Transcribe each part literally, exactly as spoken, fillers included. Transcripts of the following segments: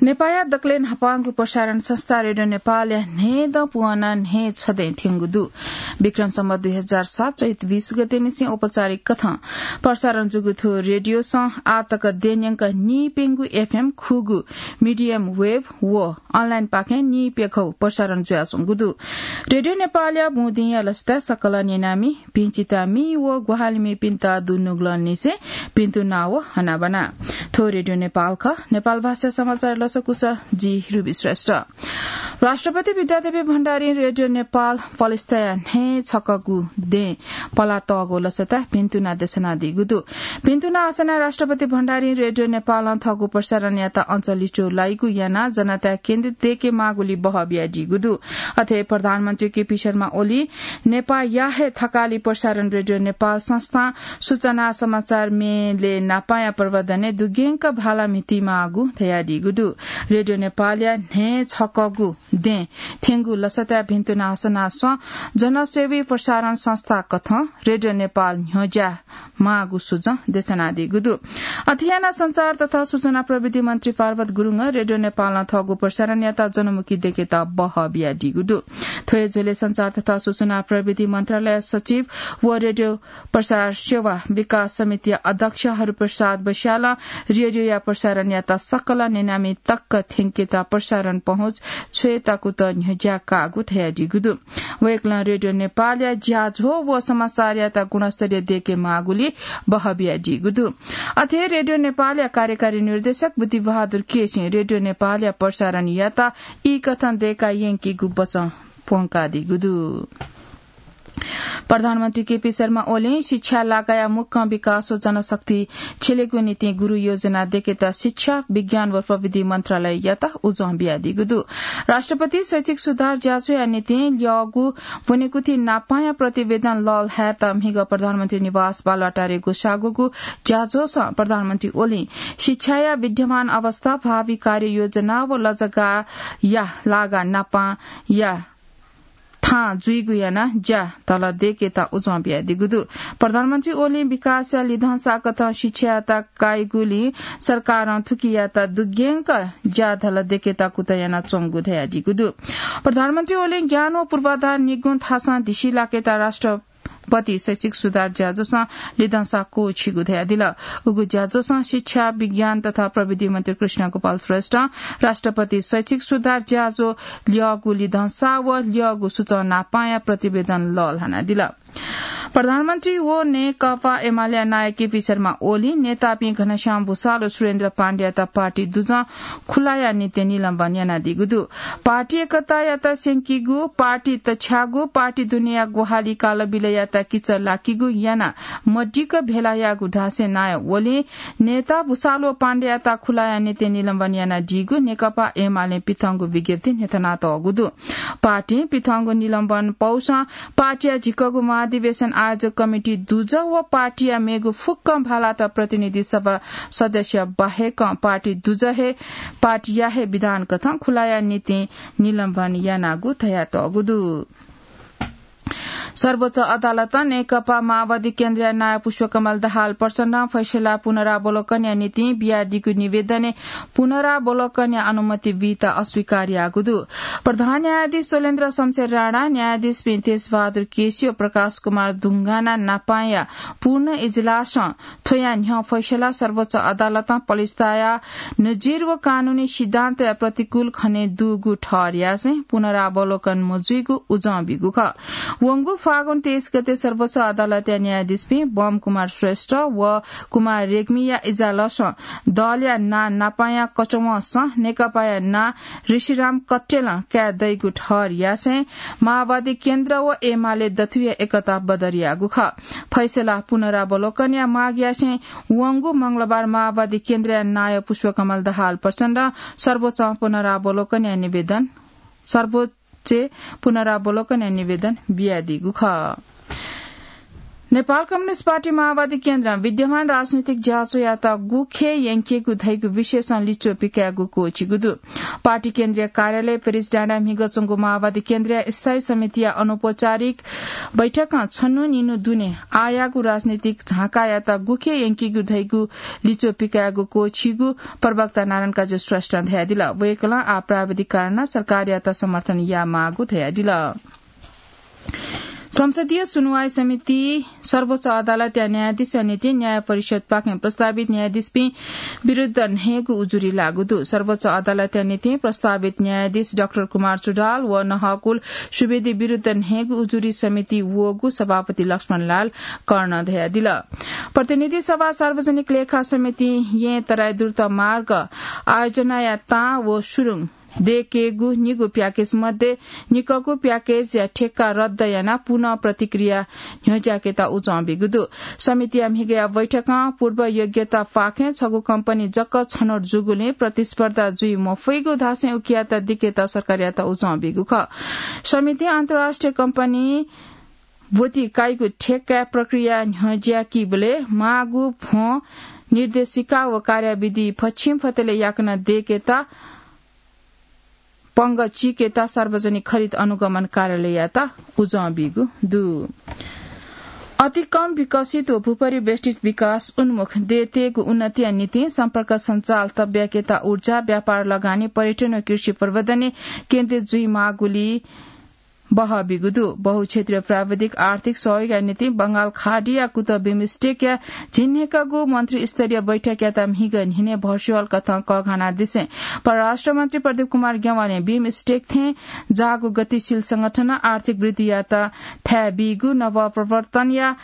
नेपाःया दकलय् न्हापांगु प्रसारण संस्था रेडियो नेपालया न्हय्दँ पुवंना न्हय् छदँय् थ्यंगु दु। विक्रम सम्वत दुई हजार सात चैत बीस गते निसें औपचारिक कथं प्रसारण जूगु थ्व रेडियोसं आः तक देय् न्यंक नीप्यंगू एफएम, खुगू मिडियम वेभ व अनलाइनपाखें नीप्यघौ प्रसारण जुयाच्वंगु दु। रेडियो नेपालया बुँदिंया लसताय् सकल न्यनामि, भिंचितामि व ग्वाहालिमिपिन्त दुनुगलंनिसें भिन्तुना व हनाबना। थ्व रेडियो नेपाल खः। नेपाल भाषा समाचार लसकुस, जि रुबी श्रेष्ठ। राष्ट्रपति विद्यादेवी भण्डारीं रेडियो नेपाल पलेस्ताया न्हय् छकःगु दें पलातःगु लसताय् भिन्तुना देछानादीगु दु। भिन्तुना हसनाः राष्ट्रपति भण्डारीं रेडियो नेपालं थःगु प्रसारणयात अञ्चलिचो लाइगु यानाः जनताय् केन्द्रित दय्के माःगुलिइ बहः बियादीगु दु। अथे प्रधानमन्त्री केपी शर्मा ओलीं नेपाःया हे थकालि प्रसारण रेडियो नेपाल संस्थां सूचना समाचार मेलय् न्हापांया प्रवर्धनय् दुग्यंक भाला म्हितीमाःगु धयादीगु दु। रेडियो नेपालया न्हय् छकःगु दें थ्यंगु लसताय् भिन्तुना हसनाः सं जनसेवी प्रसारण संस्था कथं रेडियो नेपाल न्ह्यज्याः माःगु सुजं देछानादीगु दु। अथे यानाः संचार तथा सूचना प्रविधि मन्त्री पार्वत गुरुङं रेडियो नेपालं थःगु प्रसारणयात जनमुखी दय्केत बहः बियादीगु दु। थ्व हे झ्वलय् संचार तथा सूचना प्रविधि मन्त्रालय सचिव व रेडियो प्रसार सेवा विकास समितिया अध्यक्ष हरिप्रसाद बस्यालं रेडियोया प्रसारणयात सकल न्यनामि तक थ्यंकेत प्रसारण पहुँच छ्वयेत कुतः न्ह्यज्याः काःगु धयादीगु दु। वय्कलं रेडियो नेपालया ज्याझ्वः व समाचारयात गुणस्तरीय दय्के माःगुलिइ बहः बियादीगु दु। अथे रेडियो नेपालया कार्यकारी निर्देशक बुद्धिबहादुर केसीं रेडियो नेपालया प्रसारणयात ई कथं दय्का यंकीगु बचं प्वंकादीगु दु। प्रधानमन्त्री केपी शर्मा ओलीं शिक्षा लागाया मुक्कं विकास व जनशक्ति छिलेगु निंतिं गुरु योजना दय्केत शिक्षा, विज्ञान व प्रविधि मन्त्रालययात उजं बियादीगु दु। राष्ट्रपति शैक्षिक सुधार ज्याझ्वःया निंतिं ल्यःगु ब्वनेकुथि न्हापांया प्रतिवेदन लःल्हायेत म्हिगः प्रधानमन्त्री निवास बालुवाटारय् ग्वसाःगु ज्याझ्वःसं प्रधानमन्त्री ओलीं शिक्षाया विद्यमान अवस्था, भावी कार्ययोजना व लजगाःया लागा न्हापांया थां जुइगु यानाः ज्या धलः दय्केत उजं बियादीगु दु। प्रधानमन्त्री ओलीं विकासया लिधंसा कथं शिक्षायात काइगुलिं सरकारं थुकियात दुग्यंक ज्या धलः दय्केत कुतः यानाच्वंगु धयादीगु दु। प्रधानमन्त्री ओलीं ज्ञान व पूर्वाधार निगुं थासं धिसिलाकेत राष्ट्रपति शैक्षिक सुधार ज्याझ्वःसं लिधंसा क्वःछिगु धयादिल। उगु ज्याझ्वःसं शिक्षा, विज्ञान तथा प्रविधि मन्त्री कृष्ण गोपाल श्रेष्ठं राष्ट्रपति शैक्षिक सुधार ज्याझ्वः ल्यःगु लिधंसा व ल्यःगु सुचं न्हापांया प्रतिवेदन लःल्हानादिल। प्रधानमन्त्री व नेकपा एमालेया नायः केपी शर्मा ओलीं नेतापिं घनश्याम भुसाल व सुरेन्द्र पाण्डेयात पार्टी दुजं खुलाया निंतिं निलम्बन यानादीगु दु। पार्टी एकतायात स्यंकीगु, पार्टी तछ्याःगु, पार्टी दुनेया ग्वाहालि कालबिलयात किचः लाकीगु यानाः मदिक्क भेला याःगु धासें नायः ओलीं नेता भुसाल व पाण्डेयात खुलाया निंतिं निलम्बन यानादीगु नेकपा एमालें पिथंगु विज्ञप्तिइ न्ह्यथनातःगु दु। पार्टीं पिथंगु निलम्बन पौसं पार्टीया झिक्कगु महाधिवेशन आयोजक कमिटी दुजः व पार्टीया मेगु फुक्कं भालात प्रतिनिधि सभा सदस्य बाहेकं पार्टी दुजः हे, पार्टीया हे विधान कथं खुलाया निंतिं निलम्बन यानागु धयातःगु दु। सर्वोच्च अदालतं नेकपा माओवादी केन्द्रया नायः पुष्पकमल दाहाल प्रचण्डं फैसला पुनरावलोकनया निंतिं बियादीगु निवेदनय् पुनरावलोकनया अनुमति बीत अस्वीकार याःगु दु। प्रधान न्यायाधीश शैलेन्द्र शमशेर राणा, न्यायाधीशपिं तेजबहादुर केसी व प्रकाश कुमार दुंगाना नापांया पूर्ण इजलासं थ्वया न्ह्यः फैसला सर्वोच्च अदालतं पलेस्ताया नजिर व कानूनी सिद्धान्तया प्रतिकूल खने दुगु ठहर यासें पुनरावलोकन मजुइगु उजं बीगु खः। वंगु फागुन तेइस गते सर्वोच्च अदालतया न्यायाधीशपिं बम कुमार श्रेष्ठ व कुमार रेग्मीया इजलासं दलया नां नापांया कचवंसं नेकपाया नां ऋषिराम कट्टेलं काये दइगु ठहर यासें माओवादी केन्द्र व एमाले दथुया एकता बदर याःगु खः। फैसला पुनरावलोकनया माग यासें वंगु मंगलबार माओवादी केन्द्रया नायः पुष्पकमल दाहाल प्रचण्डं सर्वोच्च पुनरावलोकनया निवेदन, सर्वोच्च पुनरावलोकनया निवेदन बियादीगु खः। नेपाल कम्युनिस्ट पार्टी माओवादी केन्द्रं विद्यमान राजनीतिक ज्याझ्वःयात गुखे यंकेगु धइगु विषयसं लिच्वः पिकायेगु क्वःछिगु दु। पार्टी केन्द्रीय कार्यालय पेरिस डाँडाय् म्हिगः च्वंगु माओवादी केन्द्रीय स्थायी समितिया अनौपचारिक बैठकं छन्हु निन्हु दुने आःयाःगु राजनीतिक झाँकायात गुखे यंकेगु धइगु लिच्वः पिकायेगु क्वःछिगु प्रवक्ता नारायण काजी श्रेष्ठं धयादिल। वय्कलं आः प्राविधिक कारणं सरकारयात समर्थन यायेमाःगु धयादिल। संसदीय सुनुवाई समिति सर्वोच्च अदालतया न्यायाधीशया निंतिं न्याय परिषदपाखें प्रस्तावित न्यायाधीशपिं विरुद्ध न्हय्गू उजुरी लाःगु दु। सर्वोच्च अदालतया निंतिं प्रस्तावित न्यायाधीश डाक्टर कुमार चुडाल व नहकुल सुवेदी विरुद्ध न्हय्गू उजुरी समिति वःगु सभापति लक्ष्मणलाल कर्णं धयादिल। प्रतिनिधि सभा सार्वजनिक लेखा समितिं येँ तराई द्रुत मार्ग आयोजनाया तां व सुरुङ दयेकेगु निगू प्याकेज मध्ये निकःगु प्याकेजया ठेक्का रद्द यानाः पुनः प्रतिक्रिया न्ह्यज्याकेत उजं बीगु दु। समितिया म्हिगःया बैठकं पूर्व योग्यतापाखें छगू कम्पनी जक छनौट जूगुलिं प्रतिस्पर्धा जुइ मफइगु धासें उकियात दिकेत सरकारयात उजं बीगु खः। समितिं अन्तर्राष्ट्रिय कम्पनी ब्वति काइगु ठेक्का प्रक्रिया न्ह्यज्याकीबलय् माःगु भ्वं, निर्देशिका व कार्यविधि फछिंफतले याकनं दयेकेत पंगः चीकेत सार्वजनिक खरिद अनुगमन कार्यालययात उजं बीगु दु। अति कम विकसित व भूपरिवेष्टित विकास उन्मुख देय्‌तय्‌गु उन्नतिया निंतिं सम्पर्क सञ्जाल तब्याकेत ऊर्जा, व्यापार, लगानी, पर्यटन व कृषि प्रवर्धनय् केन्द्रित जुइमाःगुली बहः बीगु दु। बहुक्षेत्रीय प्राविधिक आर्थिक सहयोगया निंतिं बंगाल खाडीया कुतः बिमस्टेकया झिंन्हय्‌कागु मन्त्रीस्तरीय बैठकयात म्हिगः न्हिनय् भर्चुअल कथं कःघानादिसें परराष्ट्र मन्त्री प्रदीप कुमार ज्ञवालीं बिमस्टेक थें जाःगु गतिशील संगठनं आर्थिक वृद्धियात थाय् बीगु, नवप्रवर्तनया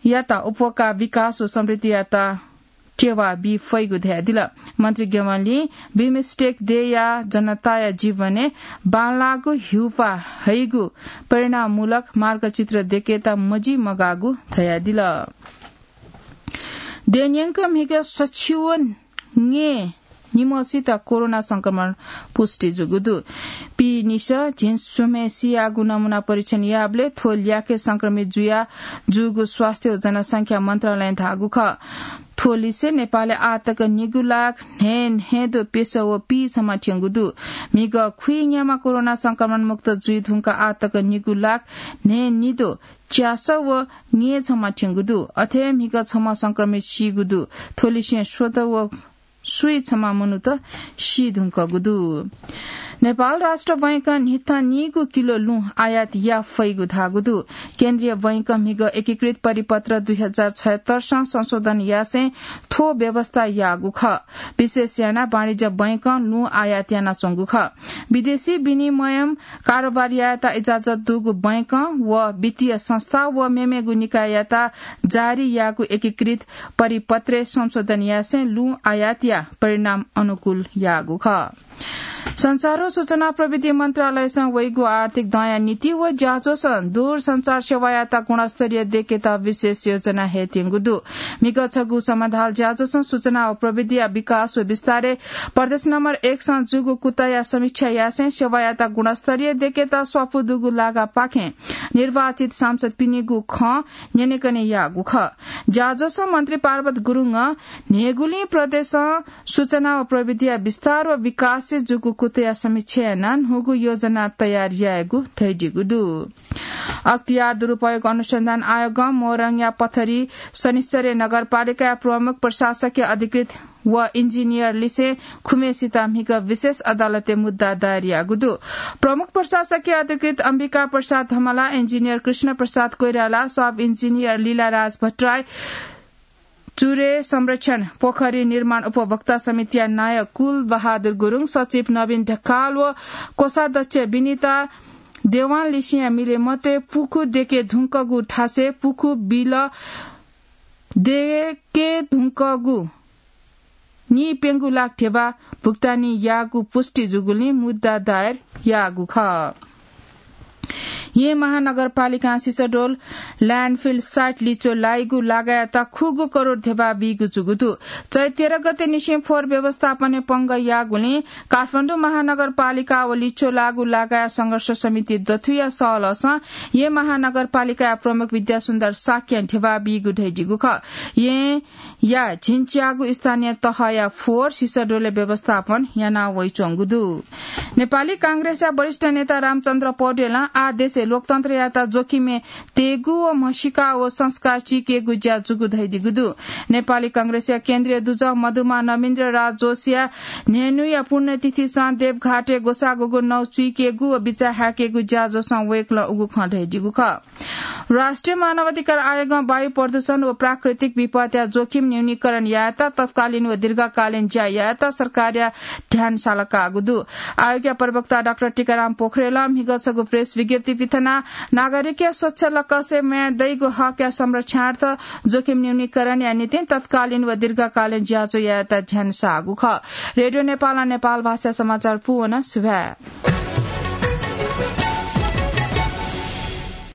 यात उपका विकास व समृद्धियात टेवा बी फइगु धयादिल। मन्त्री ज्ञवालीं बिमस्टेक देय्‌या जनताया जीवनय् बांलाःगु हिउपाः हइगु परिणाममूलक मार्गचित्र दयेकेत मजिमगाःगु धयादिल। देय्‌न्यंक म्हिगः सछि व न्यय् निम्हसित कोरोना संक्रमण पुष्टि जूगु दु। पीनिसः झिंस्वम्हय् सियाःगु नमूना परीक्षण याःबलय् थ्व ल्याखय् संक्रमित जुया जूगु स्वास्थ्य व जनसंख्या मन्त्रालयं धाःगु खः। थ्व लिसे नेपालय् आःतक निगू लाख न्हय् न्हय्दँ प्यसः व पीछम्ह थ्यंगु दु। म्हिगः खुइन्याम्ह कोरोना संक्रमण मुक्त जुइधुंकाः आःतक निगू लाख न्हय् निद्वः च्यासः व न्यय्छम्ह थ्यंगु दु। अथे हे म्हिगः छम्ह संक्रमित सीगु दु। थ्व लिसें स्वदँ व स्वीछम्ह मनूत सीधुंकूगु दु। नेपाल राष्ट्र बैंकं न्हिथं नीगू किलो लुँ आयात याये फइगु धाःगु दु। केन्द्रीय बैंकं म्हिगः एकीकृत परिपत्र दुई हजार छयत्तरसं संशोधन यासें थ्व व्यवस्था याःगु खः। विशेष यानाः वाणिज्य बैंकं लुँ आयात यानाच्वंगु खः। विदेशी विनिमयं कारोबार यायेत इजाजत दुगु बैंकं व वित्तीय संस्था व मेमेगु निकाययात जारी याःगु एकीकृत परिपत्रय् संशोधन यासें लुँ आयातया परिणाम अनुकूल याःगु खः। सञ्चार व सूचना प्रविधि मन्त्रालयसं वइगु आर्थिक दँया नीति व ज्याझ्वलसं दूरसञ्चार सेवायात गुणस्तरीय दयेकेत विशेष योजना हयेत्यंगु दु। म्हिगः छगू समाधाल ज्याझ्वलसं सूचना व प्रविधिया विकास व विस्तारय् प्रदेश नम्बर एकसं जूगु कुतःया समीक्षा यासें सेवायात गुणस्तरीय दयेकेत स्वापू दुगु लागापाखें निर्वाचित सांसदपिनिगु खँ न्यनेकने याःगु खः। ज्याझ्वलसं मन्त्री पार्वत गुरुङं न्हय्‌गुलिं प्रदेशं सूचना व प्रविधिया विस्तार व विकासय् जूगु कुतःया समीक्षा यानाः न्हूगु योजना तयार यायेगु धयादीगु दु। अख्तियार दुरुपयोग अनुसन्धान आयोगं मोरङया पथरी शनिश्चरी नगरपालिकाया प्रमुख प्रशासकीय अधिकृत व इन्जिनियर लिसें खुम्हेसित म्हिगः विशेष अदालतय् मुद्दा दायर याःगु दु। प्रमुख प्रशासकीय अधिकृत अम्बिका प्रसाद धमला, इन्जिनियर कृष्ण प्रसाद कोइराला, सब इन्जिनियर लीलाराज भट्टराई, चुरे संरक्षण पोखरी निर्माण उपभोक्ता समितिया नायः कुल बहादुर गुरुङ, सचिव नवीन ढकाल व कोषाध्यक्ष विनिता देवान लिसेंया मिले मतय् पुखू दयेके धुंकूगु थासय् पुखू बिल दयेके धुंकूगु नीप्यंगू लाख ध्यबा भुक्तानी याःगु पुष्टि जूगुलिं मुद्दा दायर याःगु खः। येँ महानगरपालिकां सिसडोल ल्यान्डफिल साइट लिच्वः लाइगु लागायत खुगू करोड धेबा बीगु जूगु दु। चैत तेह्र गते निसें फोहोर व्यवस्थापनय् पंगः याःगुलिं काठमाडौं महानगरपालिका व लिच्वः लाःगु लागायत संघर्ष समिति दथुया सहलहसं येँ महानगरपालिकाया प्रमुख विद्यासुन्दर शाक्यं धेबा बीगु धयादीगु खः। येँ या झिंच्यागु स्थानीय तहया फोहोर सिसडोलय् व्यवस्थापन याना वइच्वंगु दु। नेपाली कांग्रेसया वरिष्ठ नेता रामचन्द्र पौडेलं आः देशय् लोकतन्त्रयात जोखिमय् तयेगु व म्हसीका व संस्कार चीकेगु ज्या जूगु धयादीगु दु। नेपाली कांग्रेसया केन्द्रीय दुजः मदुमा नवीन्द्र राज जोशीया न्हय्न्हुया पुण्यतिथिसं देवघाटय् ग्वसाः ग्वगु नौ चुइकेगु व बिचाः हाय्केगु ज्याझ्वलय् वय्कलं उगु खँ धयादीगु खः। राष्ट्रिय मानवाधिकार आयोगं वायु प्रदूषण व प्राकृतिक विपदया जोखिम न्यूनीकरण यायेत तत्कालीन व दीर्घकालीन ज्या यायेत सरकारया ध्यान सालाकाःगु दु। आयोगया प्रवक्ता डाक्टर टीकाराम पोखरेलं म्हिगः छगू प्रेस विज्ञप्ति पिथनाः नागरिकया स्वच्छ लकसय् म्वाये दइगु हकया संरक्षणार्थ जोखिम न्यूनीकरणया निंतिं तत्कालीन व दीर्घकालीन ज्याझ्वः यायेत ध्यान साःगु खः। रेडियो नेपालं नेपाल भाषा समाचार पूवन। सुभाय्।